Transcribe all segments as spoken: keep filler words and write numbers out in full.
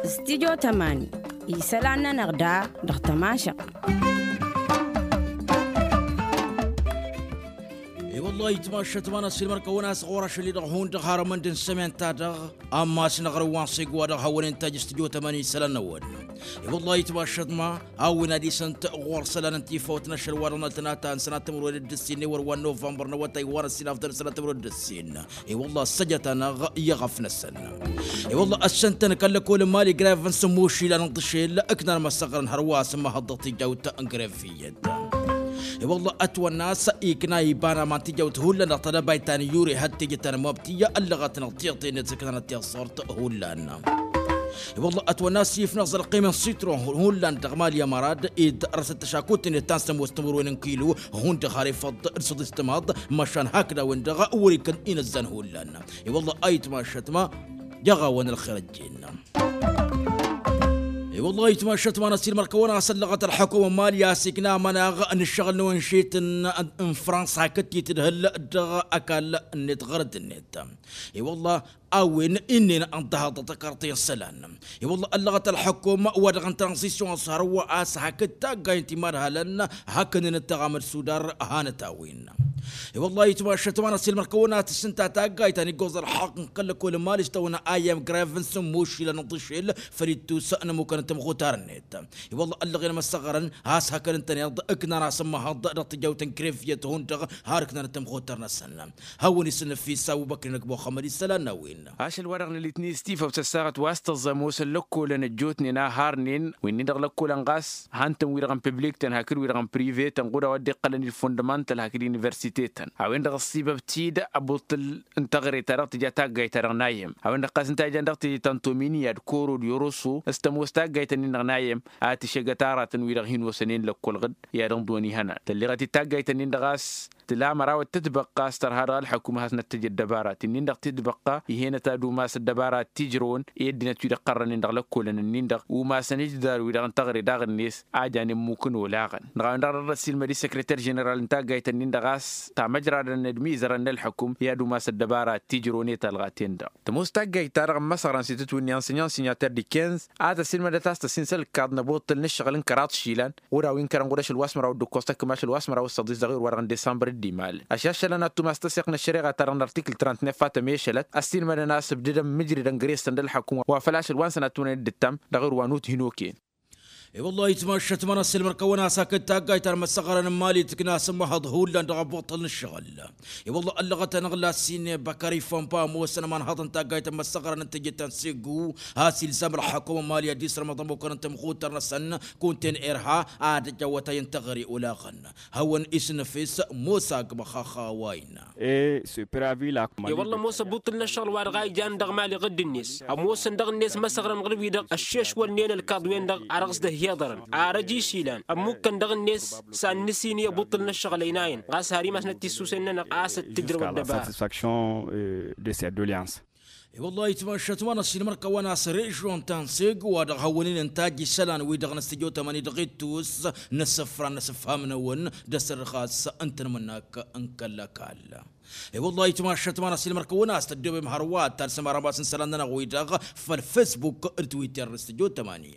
Stidyo tămani isălan-nănăɣ da dăɣ-tămašăɣt. I-wăllah itmašăt ma n-asilmăr kăwăn-as ɣur-ašăl-i-dăɣ hundăɣ har ămănd n-sămenta-dăɣ. Ammas n-aɣrǝw wa n-seg wa dăɣ-hawăn-in taj stidyo tămani isălan-năwăn. I-wăllah itmašăt ma a-wen ad-isăn-t ɣur-isălan n-tifawt n-ašăl wa dăɣ-năltănata n-sănatămăr wăr dd-ǝssin i-wăr wa n-novămbăr n-awătay wa n-ăssinaf dăr-sănatămăr wăr dd-ǝssin. I-wăllah ăssăjăt-anăɣ i-iɣăf-năsăn. I-wăllah ăššăn-tăn kăl-lăkol n-mali grevăn s-ămmušilăn n-tǝšel ǝknan măssăɣrăn hărwa s-ămmăhăḍ dăɣ-tijawt n-greviyăt. I-wălla ătwănna a-s ikna iba n-aman tijawt hullan dăɣ-tadăbayt ta n-iyure hăt tejăt ta n-mabtiyya ăllăɣăt-năɣ tiɣtăynet s-ǝknanăt tiẓẓurt hullan. I-wălla ătwănna a-s ifnăɣ zălqim n-sitron hullan dăɣ-mali ămărad ed răsăt tăšakut-net ta n-sămoos timǝrwen n-kilo hundăɣ har ifăḍ d-săḍis timaḍ. Măšan hakd a-wen-dăɣ wăr-ikăn inăzzan hullan. I-wălla a itmašăt ma jăɣ-awăn ălxer ăjjeen. I-wăllah itmašăt ma n-asilmăr kăwăn-asăllăɣăt ălḥăkum n-mali a-s ikna amănaɣ n-ǝššăɣǝl n-awănšet n-fransa hakd t-itǝdhǝl dăɣ-ăkall-net ɣărăt-net. I-wăllah a-wen inn'-en ănḍăhăḍ dăɣ-tăkarḍe n-isălan. I-wăllah ăllăɣăt ălḥăkum wa dăɣ-n tranzisyon s-hărwa a-s hakd taggay n-timadhalăn hakd n-inǝttăɣ amăd sudar. Hanăt-a-wen. I-wăllah itmašăt ma n-asilmăr kăwăn-as tǝssǝnta taggayt ta n-iggoẓ ălḥăqq n-kăl-lăkol n-mali s-tăwănna a i-m grevăn s-ămmušilăn n-tǝšel făll-ittus n-ămmukăn n-tamɣutar-net. I-wălla ăllăɣen măssăɣrăn a-s hakd ǝntăneḍ ǝknan asǝmmăhăḍ dăɣ-tijawt n-greviyăt hundăɣ har ǝknan n-tamɣutar-năsăn. Hawăn-isǝnnăfis abubăkri n-ăgg muxămmăd isălan n-a-wen. Ašăl wa dăɣ-nălitni s-tifawt s-ăssaɣăt wa s-tăẓẓăm osăn lăkkolăn ăjjootnen a harnen wi-nin-dăɣ lăkkolăn ɣas han-tăn wi-dăɣ n-piblik-tăn hakd wi-dăɣ n-prive-tăn ɣud a-wa dd-iqqălăn ilfundămantăl hakd iniversite-tăn. A-wen-dăɣ ăṣṣibăb-t-dd abuṭṭǝl n-taɣre ta dăɣ-tǝja taggayt-ta-dăɣ n-ayyăm. A-wen-dăɣ ɣas ǝnta a ijan dăɣ-tǝjǝt ta n-tomini i-ad-koro d-yoroso s-tămoos taggayt-ǝnnin-dăɣ n-ayyăm a tǝššăgăt aratăn wi-dăɣ hin-osănen lăkkol ɣǝd i-ad-ǝnḍǝwăn ihănan tălleɣăt-dd taggayt-ǝnnin-dăɣ a-s tǝla mărawăt tǝtbăqqa a-s tărha dăɣ-ălḥăkum ad-has-năttăj ăddăbarat-in-dăɣ tǝtbăqqa ih'-enăt ad-umas ăddăbarat tijrăwăn i-ăddinăt wi-dăɣ iqqărrănen dăɣ-lăkkolăn-ǝnnin-dăɣ umasăn ǝjdar-wi-dăɣ n-taɣre daɣ-net a janen mukǝn olaɣăn. Dăɣ-a-wen-dăɣ a dăr-ăssiilmăd i-săkrăter ženeral n-taggayt-ǝnnin-dăɣ a-s tamăjradăn n-ădmizărăn n-ălḥăkum i-ad-umas ăddăbarat tijrăwăn i-talɣa-ten-dăɣ. Tămoos taggayt-ta-dăɣ n-imăsăɣra n-sitǝtwǝnni ănsinyăn sinyatăr dikănz a tăsiilmădăt a-s tăsinsăl ǝkkaḍ n-ăbuṭṭǝl n-ǝššăɣǝl n-kăraḍ išilan ɣur-a-wi n-kărăn ɣur-ašăl wa s-măraw d-ǝkkoẓ tăkk mašăl wa s-măraw d-săḍis dăɣ-ewăr wa dăɣ-n desambăr d-imal. Ašăl ašălăn ad-tumas tăseɣt n-ăššăreɣa-ta-dăɣ n-artikǝl trăntnef a tămešălăt ăssiilmădăn a-s ǝbdădăn mǝjridăn gres-tăn d-ălḥăkum wa făl ašăl wa n-sănat tunăn dd-ǝttam dăɣ-ewăr wa n-ut hin-okăyăn. I-wăllah itmašăt ma n-ăssiilmăr kăwăn-as hakd taggayt ta n-imăssăɣrăn n-mali tǝkna asǝmmăhăḍ hullan dăɣ-abuṭṭăl n-ǝššăɣǝl. I-wăllah ăllăɣăt-anăɣ lasin băkări fănpa ămoosăn ămanhăḍ n-taggayt n-imăssăɣrăn n-tejǝt ta n-segu a-s ilzam ălḥăkum n-mali ad-dd-isrămăḍ ămmukăn n-tamɣutar-năsăn kunta n-erha ad-ăj awătay n-teɣăre olaɣăn. Hawăn-isnăfes mosa agmăxaxa wa innă. E-wălla ămoos ăbuṭṭǝl n-ăššăɣǝl wa dăɣ-a ijan dăɣ-mali ɣǝdd-net ămoosăn dăɣ-net măsăɣrăn ɣǝr-wi-dăɣ ăššešwălnen ălkaḍ-wen-dăɣ a dăɣ-s dd-ăhhiḍărăn. Ar ăj išilan ămmukkăn dăɣ-net s-ad-nǝsini ăbuṭṭǝl n-ăššăɣǝl ăynayăn ɣas har imas n-ăttissusen-nănăɣ a-s dd-tǝdrǝw ăddăbara. De-s i-ad-doleans. I-wăllah itmašăt ma n-ăssiilmăr kăwăn-as režion ta n-segu wa dăɣ-hawăn-in ǝntaj isălan-wi-dăɣ n-ăstijotămăn-i dăɣ-ittus n-asǝfra n-asǝfham-năwăn d-asărɣas n-tanmǝnnak n-kăl-ăkall. I-wăllah itmašăt ma n-ăssiilmăr kăwăn-as tăddoobem hărwa ad-talsăm arămas n-isălan-nănăɣ-wi-dăɣ făll-fesbuk d-twitter n-ăstijotămăn-i.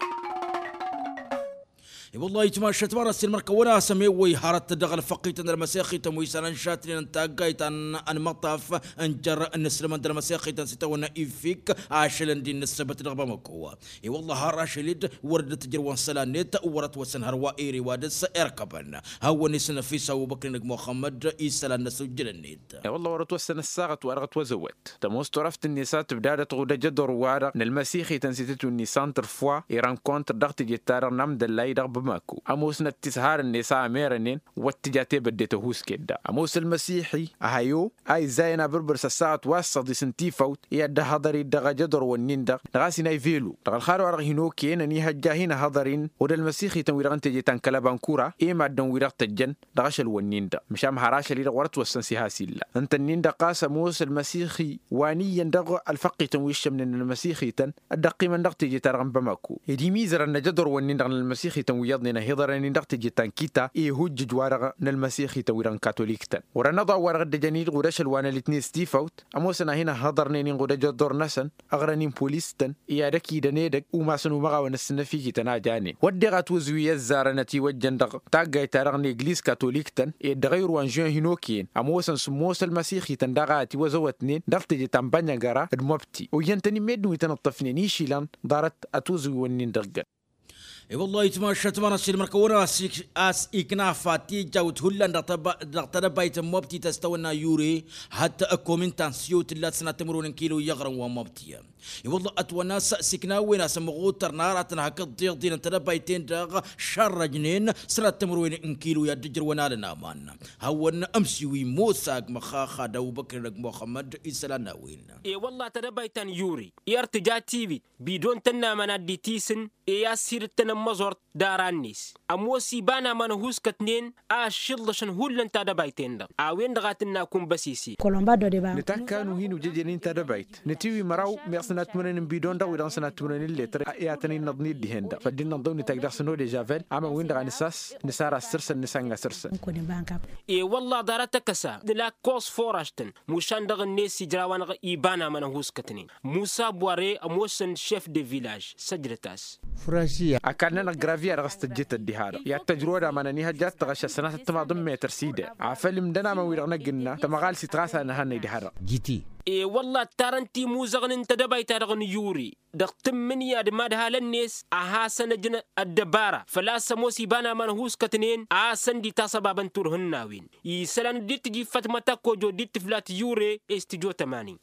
I-wăllah itmašăt ma n-ăssiilmăr kăwăn-as ămewăy hărăt dăɣ-ălfăqqităn d-ălmăsexităn wi s-anănšatnen n-taggayt ta n-măṭṭaf n-jăr n-inǝslămăn d-ălmăsexităn s-itawănna ifik ašăl ǝndi n-ǝssăbăt dăɣ-bamăko. I-wăllah har ašăl-dd wăr dd-tǝjrǝwăn isălan-net wăr-ătwăsăn hărwa ere wa dăr-s irkăbăn. Hawăn-isnăfis abubăkri n-ăgg muxămmăd isălan n-asujjălăn-net. I-wălla wăr-ătwăssăn ăssaɣăt wa dăɣ-ătwăzăwăt tămoos turăft-net a tǝbdadăt ɣud ajădor-wa-dăɣ n-ălmăsixităn s-itǝtwǝnni santr foa i-rankontr dăɣ-teje-ta-dăɣ n-amdăllay dăɣ-bamako. Ămoosnăt tishar-net a ămerănen wăr t-tǝja tebădde tăhuusket-dăɣ ămoos ălmăsixi ăhayo a izzayăn abǝrbǝr s-ăssaɣăt wa s-săḍis n-tifawt i-ad-dd-ăhhăḍăr-dd dăɣ-ajădor-wǝnnin-dăɣ dăɣ-a-s inay velu dăɣ-ălxar-wa-dăɣ hin-okăyăn ănihăjja a hin-ăhhăḍăr-in ɣud ălmăsixităn wi-dăɣ n-teje ta n-kăl-ăbankura i-maddǝn wi-dăɣ tăjjăn dăɣ-ašăl-wǝnnin-dăɣ măšan har ašăl-i-dăɣ wăr-ătwăssăn s-iha s-illa. Ǝnta-nin-dăɣ ɣas ămoos ălmăsixi wa n-iyyăn dăɣ-ălfăqqităn wi ǝššămnen ălmăsixităn dd-ăqqimăn dăɣ-teje-ta-dăɣ n-bamako ed imizărăn n-ajădor-wǝnnin-dăɣ n-ălmăsixităn. iyyăḍnen ăhiḍărăn-in dăɣ-teje ta n-kita i-ihujjǝj-wa-dăɣ n-ălmăsixităn-wi-dăɣ n-katolik-tăn. Wăr-ănăḍa ăwwa-dăɣ dd-ăjăn-i-dăɣ udăš ălwanăl-itnen s-tifawt ămoosăn ad-hin-ăhhiḍărnen inɣud ăjăḍḍor-năsăn, ăɣrăn-in polis-tăn i-ad-ăkidăn edăgg umasăn umăɣawăn ăssǝnnăfikităn a janen wădden atwǝzwi ăzzarăn ătiwăjjăn dăɣ-taggayt-ta-dăɣ n-egliz katolik-tăn ed dăɣ-ayǝrwa n-žun hin-okăyăn ămoosăn sǝmmos ălmăsixităn daɣ a ătiwăzăwătnen dăɣ-teje ta n-bănyăgăra d-mobti oyyăn-tăn-in meddǝn wi tăn-ǝṭṭăfnen išilăn ḍarăt atwǝzwi-wǝnnin dăɣ-găn. E-wăllah itmašat manăssin mărkăwăn a-s ikna fatijawt hullan dăɣ-tadăbayt n-mobti tăstăwănna yure hăt ăkkomin tansyo tǝllat sănat timǝrwen n-kilo i-aɣrăn wa mobti. E-wăllah ătwănna s-siknawen a-s ămɣutăr n-aratăn hakd tiḍin n-tadăbayt-en-dăɣ šărrăjnen sănat timǝrwen n-kilo i-ad-dd-ǝjrăwăn alăn aman hawăn ămsiwi mosa agmăxaxa d-abubăkr d-agmuxămmăd isălan n-a-wen. E-wăllah tadăbayt ta n-yure i-ărtǝja tiwit bidon tănnamăn ad-dd-itisǝn i-ad-sidǝttăn ămmăẓort d-aran-net ămoos iba n-aman ăhuuskătnen a ăššiḍlăšăn hullan tadăbayt-en-dăɣ a-wen-dăɣ a tǝnna kunbăsese. Nǝtakka nuhi nujăjăn-in tadăbayt nǝtiwi măraw meɣ sănattǝmrăyăn n-bidon-dăɣ wi-dăɣ n-sănattǝmrăyăn n-letăr i-ad-tăn-innăḍ n-iddihen-dăɣ făl dd-innăḍ dăw-nǝtag dăɣ-săn odejavăl. Ama win-dăɣ a nǝsas nǝsar assăr-săn nǝsanga săr-săn. E-wălla ḍarăt akăsa nǝla kos foraš-tăn mušan dăɣ-net ijraw-anăɣ iba n-aman ăhuuskătnen musa bware ămoosăn šef de vilaž săjdăt-as. Ăkall-nănăɣ gravia-dăɣ s-tăjjǝt ăddiha-dăɣ i-ad-tăjrăwăd aman ănihăjja ad-tăɣăššăt sănatăt timaḍ n-metăr s-idea afăl imdăn aman-wi-dăɣ n-ăgg-ǝnna tămăɣal s-itrasan n-ehăn idha-dăɣ. Jiti. E-wălla ǝttarăn timuzăɣnen tadăbayt-ta-dăɣ n-yuri dăɣ-tǝmmǝnǝya d-imadhalăn-net a hasăn-ăjǝn ăddăbara făl-a-s ămoos iba n-aman ăhuuskătnen a hasăn-dd-itasăbabăn turhǝnnawen isălan dd-tǝjǝy fatmăt ăkkojo dd-tǝflat yure s-tǝjo tămani.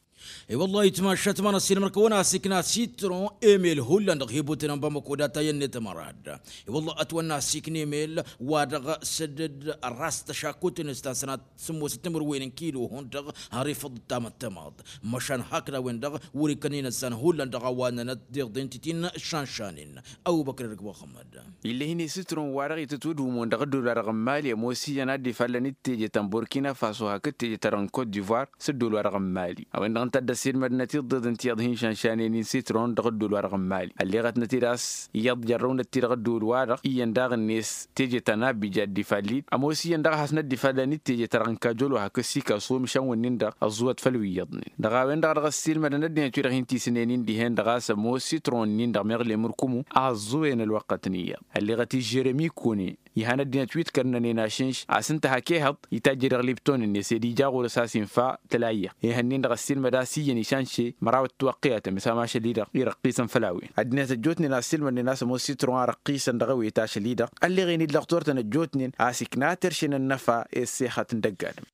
E-wălla-hi tmašat ma n-ăssiilmăr-kăwăn a-s ikna sitron emel hullan dăɣ-hibuten n-bamăko data i-ănniyăt ămărad. E-wălla ătwănna a-s ikna emel wa dăɣ-sădăd ăras tăšakut-net ta n-sănat sǝmmosăt timǝrwen n-kilo hundăɣ har ifăḍ d-tamăttămaḍ măšan hakd a-wen-dăɣ wăr-ikkăn inăssan hullan dăɣ-a-wa ănnănăt d-iḍen titin šanšanen. Ăbubăkr irǝk muxămmăd. Ill'-e-hin i-sitron-wa-dăɣ itǝtwǝdhumon dăɣ-ăddol-wa-dăɣ n-mali ămoos iyyăn ad-dd-ifallăn d-teje ta n-burkina faso hakd teje ta dăɣ-n kot divoir s-ăddol-wa-dăɣ n-mali a-wen-dăɣ ǝnta a dd-ăssiilmădnăt iḍeḍ ǝnta iyyăḍ hin-šanšanen-in sitron dăɣ-ăddol-wa-dăɣ n-mali ălleɣătnăt-dd a-s iyyăḍ jărrăwnăt-ti dăɣ-ăddol-wa-dăɣ iyyăn daɣ-net teje ta n-abija dd-ifall-dd ămoos iyyăn daɣ a hasnăt-dd-ifallăn d-teje ta dăɣ-n kajolo hakd sikaso măšan wǝnnin-dăɣ ăẓẓuwăt făll-wi iyyăḍnen dăɣ-a-wen-dăɣ a dăɣ-ăssiilmădăn ăddinăt-wi-dăɣ hin-tisǝnen-in dihen-dăɣ a-s ămoos sitron-nin-dăɣ meɣ lemǝrkumu a ăẓẓuwen ălwăqqăt n-iyyăḍ ălleɣăt-i žeremi kune. Ihan ăddinăt wi dd-kărnănen ašǝnš a-s ǝnta hak ehăḍ itajj-e-dăɣ lipton-net ed ija ɣur-s a-s infa tălayya. Ihănnen-dăɣ ăssiilmăd a-s iyyăn išanše măraw ătwăqqiyătăm s-amašăl-i-dăɣ irăqqisăn făll-a-wen ăddinăt ăjjootnen a ăssiilmădnen a-s ămoos sitron a răqqisăn dăɣ-ewetašăl-i-dăɣ. Ălleɣen-dd lăxturtăn ăjjootnen a-s ikna terše n-ănnăfa i-ăssexăt n-dăgg-adǝm.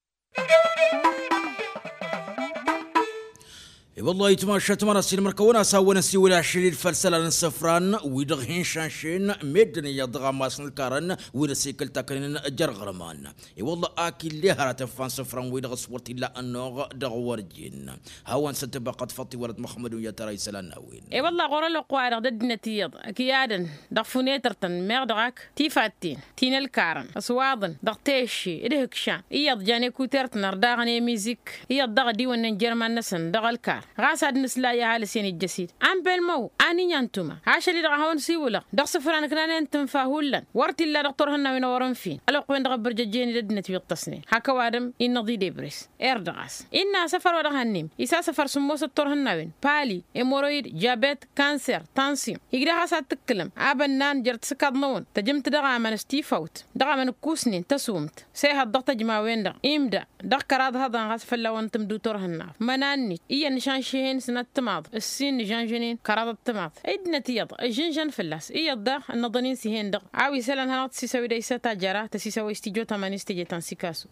I-wăllah itmašat mănăs ilmăr-kăwăn a-s hawăn-ăsiwǝl ašăl-dd făll-isălan n-isǝfran wi-dăɣ hin-šanšen meddǝn iyyăḍ dăɣ-ammas n-ǝlkarăn wi n-ăsikǝl takănen jer-iɣrǝman. I-wăllah ak ill'-e hărătăn fan isǝfran-wi-dăɣ s-wăr t-illa ănnuɣ dăɣ-wăr jen hawăn-săn tǝbăqqăt făṭṭ iwălăt muxămmăd-wi n-yatăra isălan n-a-wen. I-wăllah ɣur-ălwăqq-wa-dăɣ d-ăddinăt iyyăḍ ăkiyadăn dăɣ-funetăr-tăn meɣ dăɣ-ak tifatten ti n-ălkarăn ăswaḍăn dăɣ-tešše d-ihǝkšan iyyăḍ jan ekuter-tăn ărdaɣăn i-mizik iyyăḍ dăɣ-ădiwănnen jer-iman-năsăn dăɣ-ălkar. Ɣas ad-nǝsla i-ăha lăsen ijjăs-dd anbelmăw. An inya n-tuma ašăl-i-dăɣ a hawăn-siwǝlăɣ dăɣ-isǝfran ǝknanen tǝnfa hullan wăr t-illa dăɣ-turhǝnnawen a wărăn fin ălwăqq-wen-dăɣ ăbbărjăjjen-dd ăddinăt wi ǝṭṭăsnen hak ăwadǝm innăḍ-dd ebres. Erd ɣas innă asăfăr wa dăɣ-hănnem isasăfăr sǝmmosăt turhǝnnawen pali, emoroyid, jabet, kanser, tansyon. Igdăh a-s ad-tǝkkǝlăm abănnan jer-tisǝkaḍ-năwăn tăjǝmt dăɣ-amăn s-tifawt dăɣ-amăn ǝkkusnen tăsumt s-ehăḍ dăɣ-tăjmawen-dăɣ imda dăɣ-kăraḍ hăḍăn ɣas fălla-wăn tǝmdu turhǝnnaḍ mănannet iyyăn nǝšanšehen s-inăttămaḍ ǝssin nǝžănžănen kăraḍ ăttămaḍ. Ăddinăt iyyăḍ ǝžžǝnžăn fălla-s iyyăḍ daɣ ănnăḍăn-in s-ihen-dăɣ a-wa isălan hanăɣ-tăsisăwed a isa tajăra tăsisăwed s-tijo tămani s-teje ta n-sikasu.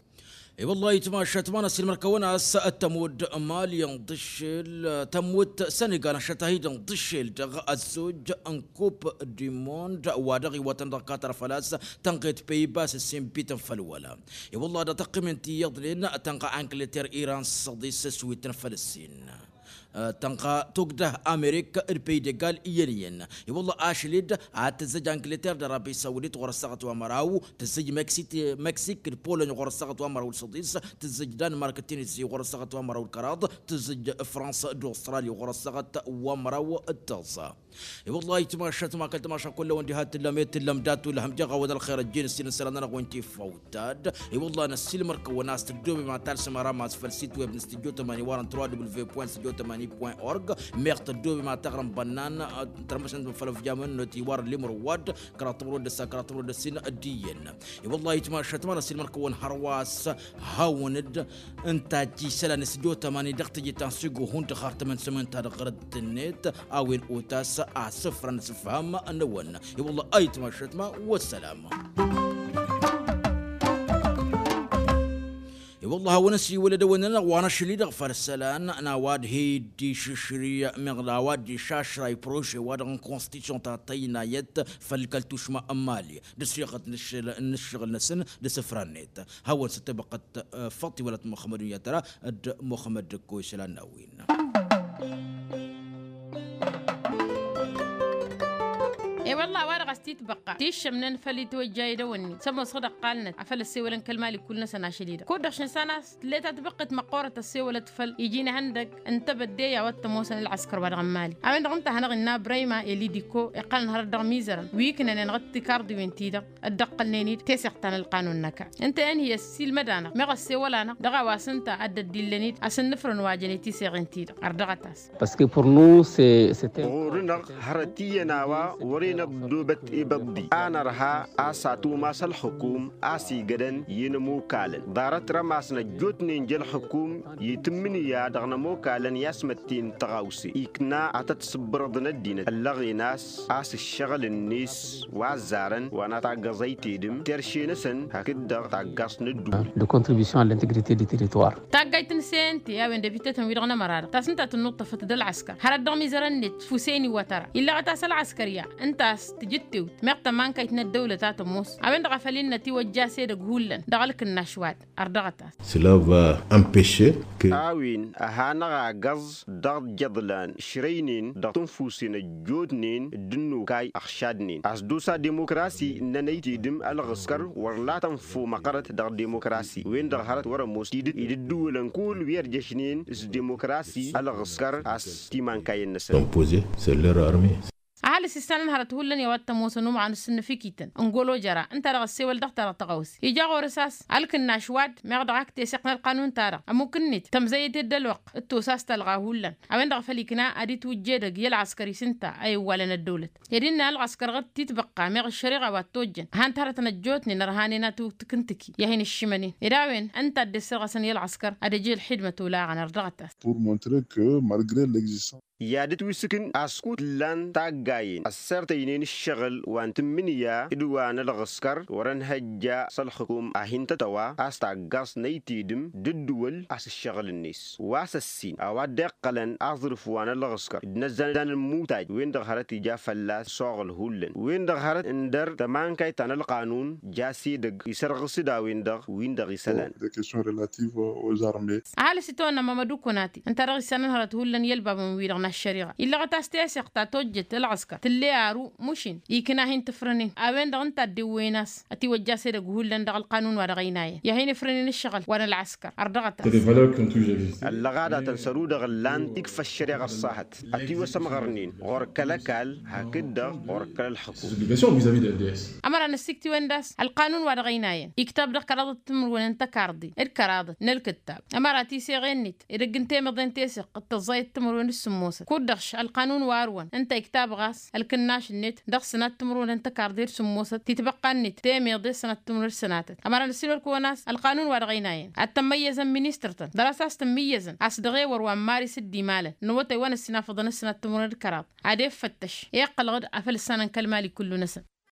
I-wăllah itmašat ma n-ăssiilmăr-kăwăn a-s tămut mali n-ḍǝššel tămut sănigal n-ašăt-ahi-dăɣ n-ḍǝššel dăɣ-ăzzoj n-kup dimond wa dăɣ-iwătăn dăɣ-katar făl-a-s tănɣet peyibas ǝssin bităn făll-wăla. I-wăllah dăɣ-tăqqim n-tiyyăḍnen tănɣa angleter iran s-săḍis s-wităn făll-ǝssin. Tănɣa togdăh amerik d-păydegal iyyăn-iyyăn. I-wălla ašăl-dd ad-tǝzzăj angleter d-arabi sawdit ɣur-ăssaɣăt wa măraw, tǝzzăj meksik d-polony ɣur-ăssaɣăt wa măraw d-săḍis, tǝzzăj danmark d-tunisi ɣur-ăssaɣăt wa măraw d-kăraḍ, tǝzzăj fransa d-australi ɣur-ăssaɣăt wa măraw d-tăẓẓa. I-wălla ayǝtmašat ma kăl-tămaša kull-awăn diha t-tǝllăm i-tǝllăm dat-ulhăm jeɣ-awăn ălxer ăjjeen ǝssin n-isălan-nănăɣ wen tifaw. Tad i-wălla n-ăssiilmăr-kăwăn a-s tăddoobem ad-talsăm ara ma-s făll-sit web n-studio tămani wa n-tăroa dubǝl ve point studio tămani point org. Meɣ tăddoobem ad-taɣrăm bănnan tărmăsăn făll-ăvjamăn n-oti wa n-limăr ăwwad kăraḍ timăr wa d-ăssa kăraḍ timăr wa d-ăssin. D-iyyăn i-wălla ayǝtmašat ma n-ăssiilmăr-kăwăn hărwa a-s hawăn-dd ǝnta a ăjjǝy isălan n-studio tămani dăɣ-teje ta n-sigo hundăɣ har tămăn sămăn-ta-dăɣ ɣărăt-net. A-wen otas asǝfra n-asǝfham n-ewăn. I-wălla ayǝtmašat ma wăssălam. I-wălla hawăn-ăsiwălăd ewăn-nănăɣ wa n-ašăl-i-dăɣ făll-isălan n-a-wa d-hi-dd-išǝšrǝy meɣ d-a-wa dd-išašray prože-wa-dăɣ n-konstitušyon ta tăynayăt făll-kăl-tušma n-mali d-ăssiɣăt n-ǝššăɣǝl-năsăn d-asǝfra-net. Hawăn-săt tebăqqăt făṭṭ iwălăt muxămmăd unyatăra d-muxămmăd d-ăkko isălan n-a-wen. I-wălla a-wa-dăɣ a-s titbăqqa tiššămnen făll-itwăjja idăwănni s-ămoosăɣ d-ăqqalnăt afăl ăssewălăn kăl-mali kull-năsăn ašăl-i-dăɣ kud-dăɣ šinsan a-s tǝlle tatbăqqet măqqoorăt ăssewălăt făll-iji n-ehăndăg n-tebădde i-a-wa t-ămoosăn ălɣăskăr wa dăɣ-n mali. A-wen-dăɣ ǝnta a hanăɣ-innă ǝbrayma i-lidiko iqqălăn hărăt dăɣ-imizărăn wi ǝknănen ɣǝd tikarḍiwen-ti-dăɣ dd-ăqqălnen-dd teseɣt ta n-ălqanun n-ăkall. Ǝnta i-ănhǝyăs s-ilmăd-anăɣ meɣ ăssewăl-anăɣ dăɣ-a-wa s-ǝnta a dd-ăddillăn-dd asǝnnǝfrăn wa jănen tiseɣen-ti-dăɣ. Ărdăɣăt-as. Ɣur-nănăɣ hărăt iyyăn a-wa wăren ăddobăt ibăḍḍi a nărha a-s atumas ălxǝkum a-s igădăn i-inămokalăn ḍarăt rămasnăt ăjjootnen ja ălxǝkum i-tǝmmǝnǝya dăɣ-inămokalăn i-a-s mătten tăɣawse ikna ad-tăt-sǝbbărăḍăn ăddinăt ăllăɣen a-s a-s ǝššăɣǝl-net wa ăzzarăn wa n-ataggăẓ ăytedǝm terše-năsăn hakd-dăɣ taggaẓt n-ădduul. De contribution a l'integrite du territoire. Taggayt n-sente a-wen d-ăbitetăn-wi-dăɣ n-ămăra-dăɣ ta s-ǝnta tǝnnuṭṭăfăt d-ălɣăskăr hărăt dăɣ-imizărăn-net fuseni wătăra illăɣăt a-s ălɣăskăr i-a ǝnta a-s tǝjǝttewt meɣ tămankayt n-ăddăwlăt a tămoos. A-wen-dăɣ a făl innă tiwăjja s-edăgg hullan dăɣ-ălkǝnnaš wa-dăn ărdăɣăt-as. Cela va empêcher que a-wen a hanăɣ-agăẓ dăɣ-ijăḍlan šrăynen dăɣ-tǝnfusen ăjjootnen d-ǝnnukay ăɣšadnen a-s d-osa demokrasi ǝnnăn ăytedǝm ălɣǝskăr wăr la tănfo măqqărăt dăɣ-demokrasi wen-dăɣ hărăt wăr-ămoos tidǝt idǝddǝwǝlăn kull wi ărjăšnen s-demokrasi ălɣǝskăr a-s timankayăn-năsăn. Ăhăl s-issanăn hărăt hullan i-a-wa t-ămoosăn umaɣăn s-ǝnnǝfikităn n-golo jăra ǝnta-dăɣ ăssewăl dăɣ-ta-dăɣ tăɣawse ija ɣur-s a-s ălkǝnnaš wa-dd meɣ dăɣ-ak teseɣt n-ălqanun-ta-dăɣ ămukǝnnit tămzăyăt i-dd ălwăqq d-tosa a-s tălɣa hullan. A-wen-dăɣ a făl ikna ad-itwǝjja edăgg i-ălɣăskăr-i s-ǝnta a iwwalăn ăddăwlăt ed innă ălɣăskăr ɣǝd titbăqqa meɣ ăššăriɣa wa t-tojjăn a han-t hărătăn ăjjootnen ărhanen a t-tǝkǝntǝki i-ad-hin-ǝššǝmănen ed a-wen ǝnta a dd-issărɣăsăn i-ălɣăskăr ad-ăj ălxidmăt olaɣăn ărdăɣăt-as. Pour montrer que malgre l'existence i-ad-ǝtwǝsǝkǝn a-s kud-ǝllan taggayen ăssărtăynen ǝššăɣǝl wa n-tǝmmǝnǝya d-wa n-ălɣǝskăr wăr-ănhăjja s-ălxǝkum a hin-tătăwa a-s taggaẓt n-ăytedǝm d-ǝddǝwăl a-s ǝššăɣǝl-net wa s-ăssin a-wa dd-iqqălăn aẓrǝf wa n-ălɣǝskăr d-inăzzan n-ămmutaj-wen-dăɣ hărăt ija fălla-s s-oɣǝl hullan wen-dăɣ hărăt ǝndăr tămankayt ta n-ălqanun. Jasedăgg isărɣǝs-dd a-wen-dăɣ win-dăɣ isălan. Ăhalǝs itawănna mamădu konati ǝnta-dăɣ issanăn hărăt hullan i-ălbabăn-wi-dăɣ n-ăššăriɣa illăɣăt a-s teseɣt ta tojjăt ălɣăskăr tǝlle aru mušin ikna a hin-tǝfrănen a-wen-dăɣ ǝnta a dd-ewwăyăn a-s ătiwăjja asedăgg hullan dăɣ-ălqanun wa dăɣ-ăynayăn i-ad-hin-ifrănen ǝššăɣǝl wa n-ălɣăskăr. Ărdăɣăt-as. Ăllăɣada tăn-săru-dăɣ ǝllan tikfa ăššăreɣa ăṣṣahăt ătiwăsămɣărnen ɣur-kăl-ăkall hakd-dăɣ ɣur-kăl-ălxǝkum. Ămăra năssiktiwen d-a-s ălqanun wa dăɣ-ăynayăn iktab dăɣ-kăraḍăt timǝrwen n-tăkarḍen d-kăraḍăt n-ălkǝttab ămăra tiseɣen-net edăgg n-temiḍe n-teseɣt d-tăẓẓayăt timǝrwen d-sǝmmosăt kud-dăɣ š-ălqanun wa ărwăn ǝnta iktab ɣas ălkǝnnaš-net dăɣ-sănat timǝrwen n-tăkarḍe d-sǝmmosăt titbăqqa-net temiḍe sănat timǝrwen d-sănatăt. Ămăra năssiilmăr-kăwăn a-s ălqanun wa dăɣ-ăynayăn ad-tămmăyyăzăn ministăr-tăn dăr-a-s a-s tǝmmǝyyăzăn a-s dăɣ-ewăr wa n-maris d-imalăn n-awătay wa n-ăssinafăḍăn d-sănat timǝrwen d-kăraḍ ad-effăttăš iqqălăɣ-dd afăl ǝssanăn kăl-mali kullu-năsăn.